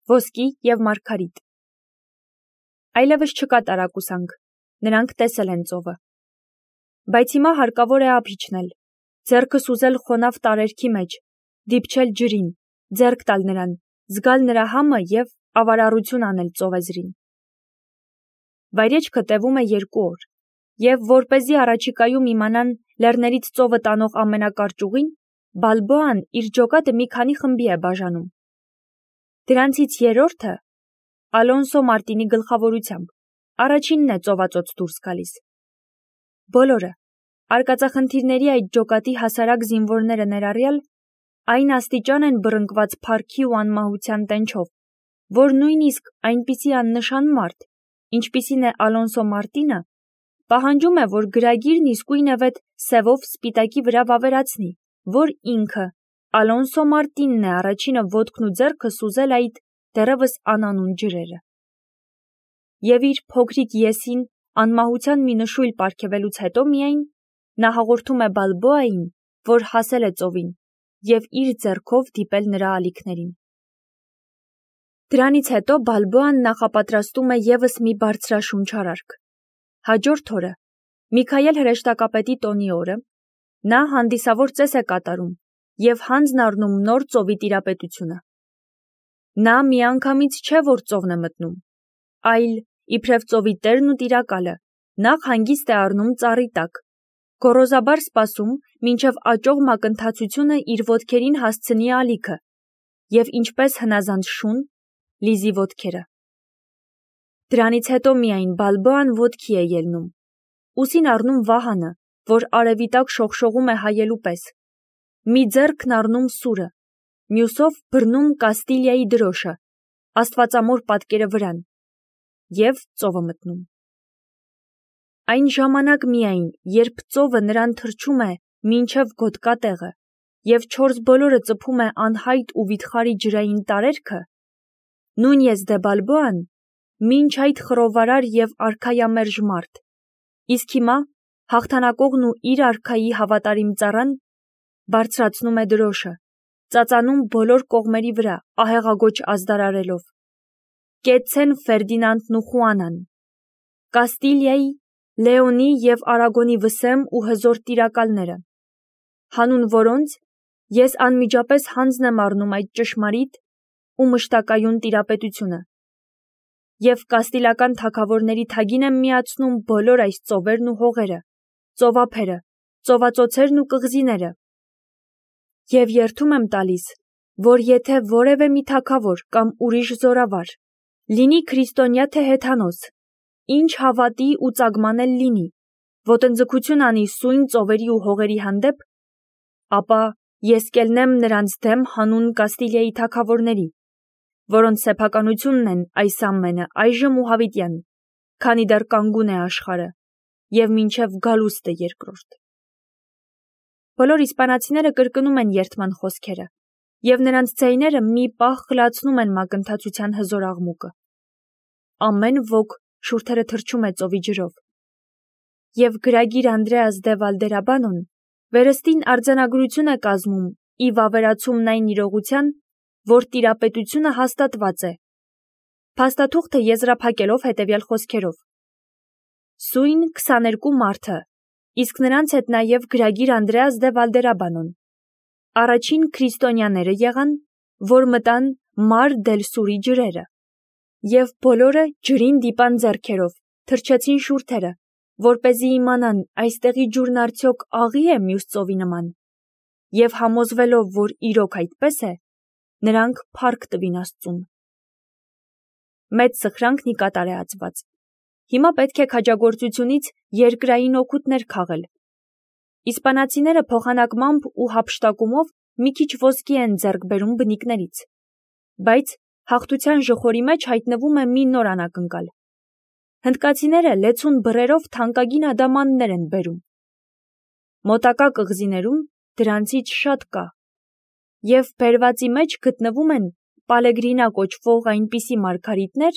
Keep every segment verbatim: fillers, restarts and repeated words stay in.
ոսկի և մարգարիտ։ Այլևս չկա տարակուսանք, նրանք տեսել են ծովը։ Բայց հիմա հարկավոր է ափ իջնել, ձեռքը սուզել խոնավ տարերքի մեջ, դիպչել ջրին, ձեռք տալ նրան, զգալ նրա համը և ավարառություն անել ծովեզրին։ Վայրեջքը տևում է երկու օր, և որպեսզի առաջիկայում իմանան լեռներից ծովը տանող ամենակարճ ուղին, Բալբոան իր ջոկատը մի քանի խմբի է բաժանում։ Դրանցից երրորդը Ալոնսո Մարտինի գլխավորությամբ առաջինն է ծովածոց դուրս գալիս։ Բոլորը, արկածախնդիրների այդ ջոկատի հասարակ զինվորները ներառյալ, այն աստիճան են բռնկված փառքի ու անմահության տենչով, որ նույնիսկ այնպիսի աննշան մարդ, ինչպիսին է Ալոնսո Մարտինը, պահանջում է, որ գրագիրն իսկույնևեթ սևով սպիտակի վրա վավերացնի, որ ինքը, Ալոնսո Մարտինն է առաջինը ոտքն ու ձեռքը սուզել այդ դեռևս անանուն ջրերը։ Եվ իր փոքրիկ եսին անմահության մի նշույլ պարգևելուց հետո միայն նա հաղորդում է Բալբոային, որ հասել է ծովին և իր ձեռքով դիպել նրա ալիքներին։ Դրանից հետո Բալբոան նախապատրաստում է ևս մի բարձրաշունչ արարք։ Հաջորդ օրը, Միքայել հրեշտակապետի տոնի օրը, նա հանդիսավոր ծես է կատարում և հանձն առնում նոր ծովի տիրապետությունը։ Նա միանգամից չէ, որ ծովն է մտնում, այլ, իբրև ծովի տերն ու տիրակալը, նախ հանգիստ է առնում ծառի տակ, գոռոզաբար սպասում, մինչև աճող մակընթացությունը իր ոտքերին հասցնի ալիքը, և ինչպես հնազանդ շուն, լիզի ոտքերը։ Դրանից հետո միայն Բալբոան ոտքի է ելնում, ուսին առնում վահանը, որ արևի տակ շողշողում է հայելու պես, մի ձեռքն առնում սուրը, մյուսով բռնում Կաստիլիայի դրոշը, աստվածամոր պատկերը վրան, և ծովը մտնում։ Այն ժամանակ միայն, երբ ծովը նրան թռչում է մինչև գոտկատեղը, և չորս բոլորը ծփում է անհայտ ու վիթխարի ջրային տարերքը, Նունյես դե Բալբոան, մինչ այդ խռովարար և արքայամերժ մարդ, իսկ հիմա հաղթանակողն ու իր արքայի հավատարիմ ծառան, բարձրացնում է դրոշը, ծածանում բոլոր կողմերի վրա ահեղագոչ ազդարարելով. Կեցցեն Ֆերդինանդն ու Խուանան, Կաստիլիայի, Լեոնի և Արագոնի վսեմ ու հզոր տիրակալները, հանուն որոնց ես անմիջապես հանձն եմ առնում այդ ճշմարիտ ու մշտակայուն տիրապետությունը, և կաստիլական թագավորների թագին եմ միացնում բոլոր այս ծովերն ու հողերը, ծովափերը, ծովածոցերն ու կղզիները, և երդում եմ տալիս, որ եթե որևէ մի թագավոր կամ ուրիշ զորավար, լինի քրիստոնյա թե հեթանոս, ինչ հավատի ու ծագման էլ լինի, ոտնձգություն անի սույն ծովերի ու հողերի հանդեպ, ապա ես կելնեմ նրանց դեմ հանուն Կաստիլիայի թագավորների, որոնց սեփականությունն են այս ամենը այժմ ու հավիտյան, քանի դեռ կանգուն է աշխարհը, և մինչև գալուստը երկրորդ։ Բոլոր իսպանացիները կրկնում են երդման խոսքերը, և նրանց ձայները մի պահ խլացնում են մակընթացության հզոր աղմուկը։ Ամեն ոք շուրթերը թռչում է ծովի ջրով։ Եվ գրագիր Անդրեաս դե Վալդերաբանոն վերստին արձանագրություն է կազմում ի վավերացումն այն իրողության, որ տիրապետությունը հաստատված է, փաստաթուղթը եզրափակելով հետևյալ խոսքերով. Սույն քսաներկու մարդը, իսկ նրանց հետ նաև գրագիր Անդրեաս դե Վալդերաբանոն, առաջին քրիստոնյաները եղան, որ մտան Մար դել Սուրի ջրերը, և բոլորը ջրին դիպան ձեռքերով, թռչեցին շուրթերը, որպեսզի իմանան այստեղի ջուրն արդյոք աղի է մյուս ծովի նման, և համոզվելով, որ իրոք այդպես է, նրանք փառք տվին Աստծուն։ Մեծ սխրանքն ի կատար է ածված։ Հիմա պետք է քաջագործությունից երկրային օգուտներ քաղել։ Իսպանացիները փոխանակմամբ ու հափշտակումով մի քիչ ոսկի են ձեռք բերում բնիկներից, բայց հաղթության ժխորի մեջ հայտնվում է մի նոր անակնկալ։ Հնդկացիները լեցուն բռերով թանկագին ադամաններ են բերում։ Մոտակա կղզիներում դրանցից շատ կա, և բերվածի մեջ գտնվում են Պալեգրինա կոչվող այնպիսի մարգարիտներ,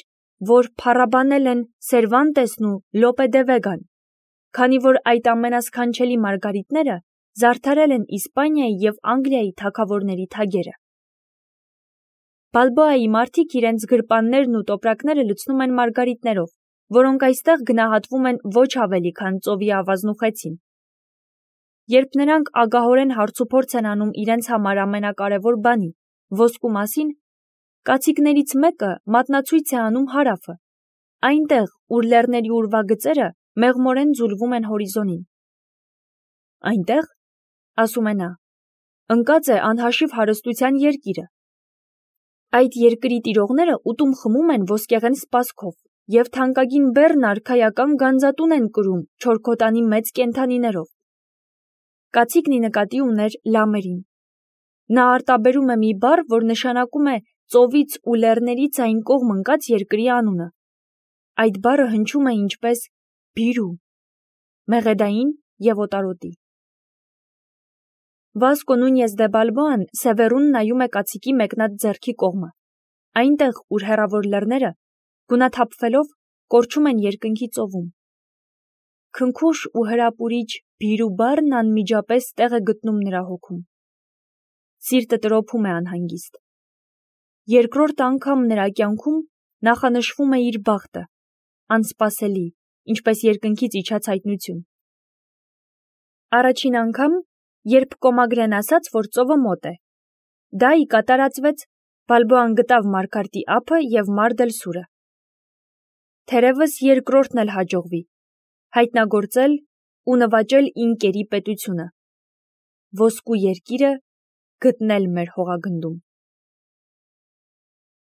որ փառաբանել են Սերվանտեսն ու Լոպե դե Վեգան, քանի որ այդ ամենասքանչելի մարգարիտները զարդարել են Իսպանիայի և Անգլիայի թագավորների թագերը։ Բալբոայի մարդիկ իրենց գրպաններն ու տոպրակները լցնում են մարգարիտներով, որոնք այստեղ գնահատվում են ոչ ավելի, քան ծովի ավազնուխեցին։ Երբ նրանք ագահորեն հարցուփորձ են անում իրենց համար ամենակարևոր բանի՝ ոսկու մասին, կացիկներից մեկը մատնացույց է անում հարավը, այնտեղ, ուր լեռների ուրվագծերը մեղմորեն ձուլվում են հորիզոնին։ Այնտեղ, ասում է նա, ընկած է անհաշիվ հարստության երկիրը։ Այդ երկրի տիրողները ուտում խմում են ոսկեղեն սպասքով և թանկագին բեռն արքայական գանձատուն են կրում չորքոտանի մեծ կենդանիներով։ Կացիկն ի նկատի ուներ լամերին։ Նա արտաբերում է մի բառ, որ նշանակում է ծովից ու լեռներից այն կողմ ընկած երկրի անունը։ Այդ բառը հնչում է ինչպես բիրու, մեղեդային և օտարոտի։ Վասկո Նունյես դե Բալբոան սևեռուն նայում է կացիկի մեկնած ձեռքի կողմը, այնտեղ, ուր հեռավոր լեռները, գունաթափվելով, կորչում են երկնքի ծովում։ Քնքուշ ու հրապուրիչ բիրու բառն անմիջապես տեղ է գտնում նրա հոգում։ Սիրտը տրոփում է անհանգիստ։ Երկրորդ անգամ նրա կյանքում նախանշվում է իր բախտը, անսպասելի, ինչպես երկնքից իջած հայտնություն։ Առաջին անգամ, երբ Կոմագրեն ասաց, որ ծովը մոտ է, դա ի կատարածվեց, Բալբոան գտավ Մարգարտի ափը և Մարդ էլ սուրը։ Թերևս երկրորդն էլ հաջողվի, հայտնագործել ու նվաճել ինկերի պետությունը, ոսկու երկիրը գտնել մեր հողագնդում։